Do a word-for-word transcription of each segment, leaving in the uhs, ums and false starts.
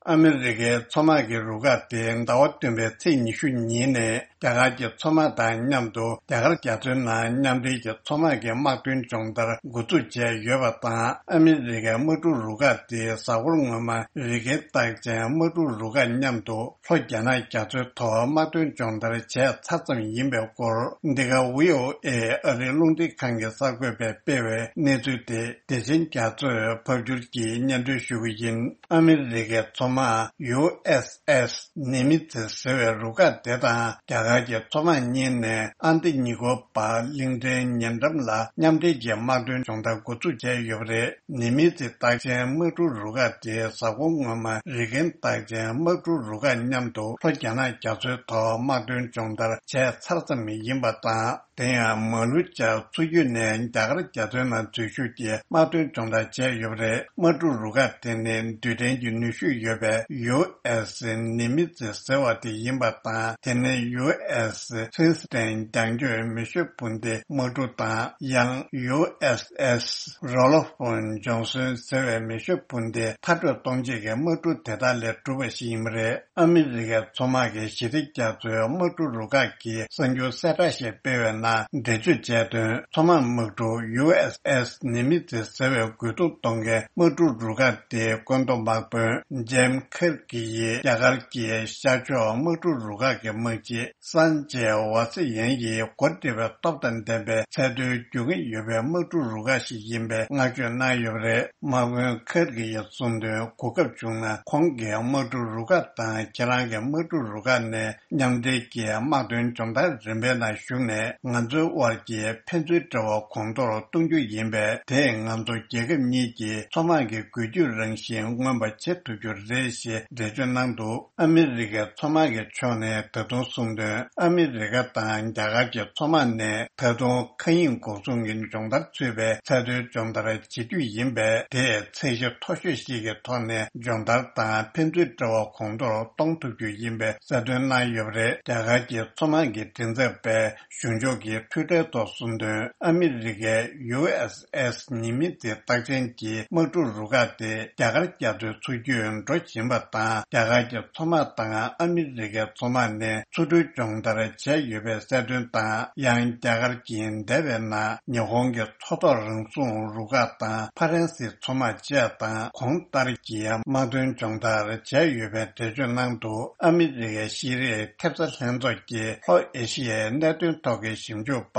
ཨ་མི་རི་ཀའི་མཚོ་དམག་གི་རུ་ཁག་དེ་ཟླ་བ་བདུན་པའི་ཚེས་ཉི་ཤུ་ཉིན་ནས་རྒྱ་གར་གྱི་མཚོ་དམག་དང་མཉམ་དུ་རྒྱ་གར་རྒྱ་མཚོའི་ནང་མཉམ་འབྲེལ་གྱི་མཚོ་དམག་གི་དམག་དོན་སྦྱོང་བརྡར་འགོ་འཛུགས་བྱས་ཡོད་པ་དང་། ཨ་མི་རི་ཀའི་དམག་གྲུ་རུ་ཁག་དེ་གཟའ་འཁོར་སྔོན་མ་རི་ཀན་རྟགས་ཅན་དམག་གྲུ་རུ་ཁག་མཉམ་དུ་ལྷོ་རྒྱ་ནག་རྒྱ་མཚོའི་ཐོག་དམག་དོན་སྦྱོང་བརྡར་བྱས་ཚར་ཙམ་ཡིན་པའི་སྐོར། འདི་ག་བྷི་ཨོ་ཨེ་ཨ་རིའི་རླུང་འཕྲིན་ཁང་གི་གསར་འགོད་པས་སྤེལ་བའི་གནས་ཚུལ་དེ་བདེ་ཆེན་རྒྱ་མཚོས་ཕབ་སྒྱུར་གྱིས་སྙན་སྒྲོན་ཞུ་གི་ཡིན། ཨ་མི་རི་ཀའི་མཚོ་དམག་ཡུ་ཨེས་ཨེས་ནི་མི་ཙི་ཟེར་བའི་རུ་ཁག་དེ་དང་རྒྱ་གར་གྱི་མཚོ་དམག་གཉིས་ནས་ཨན་ཏི་ཉི་ཀོ་པར་གླིང་ཕྲན་ཉེ་འགྲམ་ལ་མཉམ་འབྲེལ་གྱི་དམག་དོན་སྦྱོང་བརྡར་འགོ་འཛུགས་བྱས་ཡོད་པ་རེད། ནི་མི་ཙི་རྟགས་ཅན་དམག་གྲུ་རུ་ཁག་དེ་གཟའ་འཁོར་སྔོན་མ་རི་ཀན་རྟགས་ཅན་དམག་གྲུ་རུ་ཁག་མཉམ་དུ་ལྷོ་རྒྱ་ནག་རྒྱ་མཚོའི་ཐོག་དམག་དོན་སྦྱོང་བརྡར་བྱས་ཚར་ཙམ་ཡིན་པ་དང་། དེ་ཡང་མ་ལུ་ཅག་མཚོ་རྒྱུད་ནས་རྒྱ་གར་རྒྱ་མཚོའི་ནང་འཛུལ་ཞུགས་ཀྱིས་དམག་དོན་སྦྱོང་བརྡར་བྱས་ཡོད་པ་རེད། དམག་གྲུ་རུ་ཁག་དེ་ནི་རྡུལ་ཕྲན་གྱི་ནུས་ཤུགས་ཡོད་པའི་ཡུ་ཨེས་ནི་མི་ཙི་ཟེར་བ་དེ་ཡིན་པ་དང་། དེ་ནི་ཡུ་ཨེས་ཕྲེ་སི་ཌེན་རྒྱང་སྐྱོད་མེ་ཤོད་འཕུར་མདེལ་དམག་གྲུ་དང་། ཡང་ཡུ་ཨེས་ཨེས་རོ་ལོ་ཕོན་ཇོན་སོན་ཟེར་བའི་མེ་ཤོད་འཕུར་མདེལ་མཐར་སྐྲོད་གཏོང་བྱེད་ཀྱི་དམག་གྲུ་དེ་དག་ལས་གྲུབ་པ་ཞིག་ཡིན་པ་རེད། ཨ་མི་རི་ཀའི་མཚོ་དམག་གི་ཞི་བདེ་རྒྱ་མཚོའི་དམག་གྲུ་རུ་ཁག་གིས་གསར་འགྱུར་གསལ་བསྒྲགས་ཤིག་སྤེལ་བའི་ནང་འགྲེལ་བརྗོད་བྱས་དོན། མཚོ་དམག་དམག་གྲུ་ཡུ་ཨེས་ཨེས་ནི་མི་ཙི་ཟེར་བའི་རྒོལ་རྡུང་གཏོང་མཁན་དམག་གྲུ་རུ་ཁག་དེའི་བཀོད་འདོམས་དམག་དཔོན་ཇེམ་ཁེར་གི་ཡིས་རྒྱ་གར་གྱི་ཤར་ཕྱོགས་དམག་གྲུ་རུ་ཁག་གི་དམག་སྤྱི་སན་ཇེ་ཝ་སི་ཡན་ཡིས་འགོ་ཁྲིད་པའི་སྟོབས་དང་ལྡན་པའི་ཚད་མཐོའི་རྒྱུས་མངའ་ཡོད་པའི་དམག་གྲུ་རུ་ཁག་ཞིག་ཡིན་པའི་བསྔགས་བརྗོད་གནང་ཡོད་པ་རེད། དམག་དཔོན་ཁེར་གི་ཡིས་གསུངས་དོན། གོ་སྐབས་བྱུང་ན་ཁོང་གིས་དམག་གྲུ་རུ་ཁག་དང་ཁྱེད་རང་གི་དམག་གྲུ་རུ་ཁག་ནས་མཉམ་འབྲེལ་གྱིས་དམག་དོན་སྦྱོང་བརྡར་རིམ་པའི་ནང་ཞུགས་ནས་ང་ཚོའི་དབར་གྱི་ཕན་ཚུན་འབྲེལ་བ་གོང་མཐོར་གཏོང་རྒྱུ་ཡིན་པས། དེས་ང་ཚོ་རྒྱལ་ཁབ་གཉིས་ཀྱི་མཚོ་དམག་གི་འགུལ་སྐྱོད་རང་བཞིན་མངོན་པ་བྱེད་ཐུབ་རྒྱུ་རེད་ཞེས་འགྲེལ་བརྗོད་གནང་འདུག་ཨ་མི་རི་ཀའི་མཚོ་དམག་གི་ཕྱོགས་ནས་ད་དུང་གསུངས་དོན། ཨ་མི་རི་ཀ་དང་རྒྱ་གར་གྱི་མཚོ་དམག་ནས་ད་དུང་མཁའ་དབྱིངས་འགོག་སྲུང་གི་སྦྱོང་བརྡར་ཚུད་པའི་ཚད་མཐོའི་སྦྱོང་བརྡར་བྱེད་རྒྱུ་ཡིན་པས། དེས་ཚད་གཞི་མཐོ་ཤོས་ཤིག་གི་ཐོག་ནས་སྦྱོང་བརྡར་དང་ཕན་ཚུན་འབྲེལ་བ་གོང་མཐོར་གཏོང་ཐུབ་རྒྱུ་ཡིན་པའི་གསལ་སྟོན་གནང་ཡོད་པ་རེད། རྒྱ་གར་གྱི་མཚོ་དམག་གི་མགྲིན་ཚབ་པས་གཞུང་ཕྱོགས་ཀྱི་ཐུགས་ཁྲལ་ཐོག་གསུངས་དོན། ཨ་མི་རི་ཀའི་ཡུ་ཨེས་ཨེས་ཉི་མི་ཙི་རྟགས་ཅན་གྱི་དམག་གྲུ་རུ་ཁག་དེ་རྒྱ་གར་རྒྱ་མཚོའི་མཚོ་རྒྱུད་འགྲོ་བཞིན་པ་དང་། རྒྱ་གར་གྱི་མཚོ་དམག་དང་ཨ་མི་རི་ཀའི་མཚོ་དམག་ནས་མཚོ་འགྲུལ་སྦྱོང་བརྡར་བྱས་ཡོད་པའི་གསལ་སྟོན་དང་། ཡང་རྒྱ་གར་གྱིས་འདས་པའི་ནང་ཉི་ཧོང་གི་མཚོ་ཐོག་རང་སྲུང་རུ་ཁག་དང་ཕ་རན་སིའི་མཚོ་དམག་བཅས་དང་གོང་ལྟར་གྱི་དམག་དོན་སྦྱོང་བརྡར་བྱས་ཡོད་པའི་འགྲེལ་བརྗོད་གནང་འདུག་ཨ་མི་རི་ཀའི་ཤེས་རིག་ཐེབས་རྩ་ལྷན་ཚོགས་ཀྱིས་ལྷོ་ཨེ་ཤི་ཡའི་གནད་དོན་ཐོག་གི་ཞིབ་འཇུག་པ་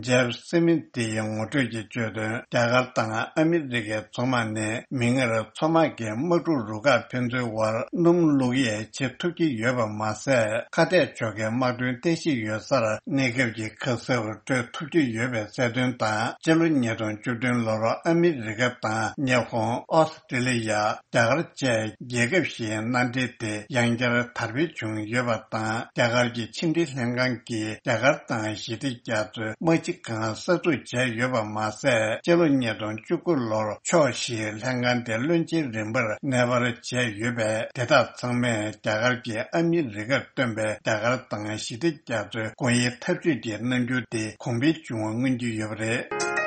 ཇེབ་སི་མིད་ཡིས་ངོ་སྤྲོད་ཀྱིས་བརྗོད་དོན། རྒྱ་གར་དང་ཨ་མི་རི་ཀའི་མཚོ་དམག་ནས་མིག་སྔར་མཚོ་དམག་གི་དམག་གྲུ་རུ་ཁག་ཕན་ཚུན་དབར་སྣུམ་བླུག་ཡས་བྱེད་ཐུབ་ཀྱི་ཡོད་པ་མ་ཟད། ཁ་གཏད་གཅོག་མཁན་དམག་དོན་རྟེན་གཞི་ཡོད་སར་གནས་སྐབས་ཀྱི་ཁ་གསབ་སྤྲོད་ཐུབ་ཀྱི་ཡོད་པའི་གསལ་སྟོན་དང་། སྤྱི་ལོ་ཉིས་སྟོང་བཅུ་བདུན་ལོར་ཨ་མི་རི་ཀ་དང་ཉི་ཧོང་། ཨོ་སི་ཀྲི་ལི་ཡ། རྒྱ་གར་བཅས་རྒྱལ་ཁབ་བཞིའི་མནའ་འབྲེལ་དེ་ཡང་བསྐྱར་དར་སྤེལ་བྱུང་ཡོད་པ་དང་། རྒྱ་གར་གྱི་ཕྱི་འབྲེལ་ལྷན་ཁང་གིས་རྒྱ་གར་དང་ཞི་བདེ་རྒྱ་མཚོའི་དམག་སྤྱི་ཁང་གསར་འཛུགས་བྱས་ཡོད་པ་མ་ཟད། སྤྱི་ལོ་ཉིས་སྟོང་བཅུ་དགུ་ལོར་ཕྱོགས་བཞིའི་ལྷན་ཁང་དེ་བློན་ཆེན་རིམ་པར་གནས་སྤར་བྱས་ཡོད་པས། དེ་དག་ཚང་མས་རྒྱ་གར་གྱིས་ཨ་མི་རི་ཀར་བཏོན་པའི་རྒྱ་གར་དང་ཞི་བདེ་རྒྱ་མཚོའི་སྒོ་དབྱེའི་འཐབ་ཇུས་ཀྱི་རྣམ་འགྱུར་དེ་གོང་འཕེལ་བྱུང་བ་མངོན་གྱི་ཡོད་པ་རེད།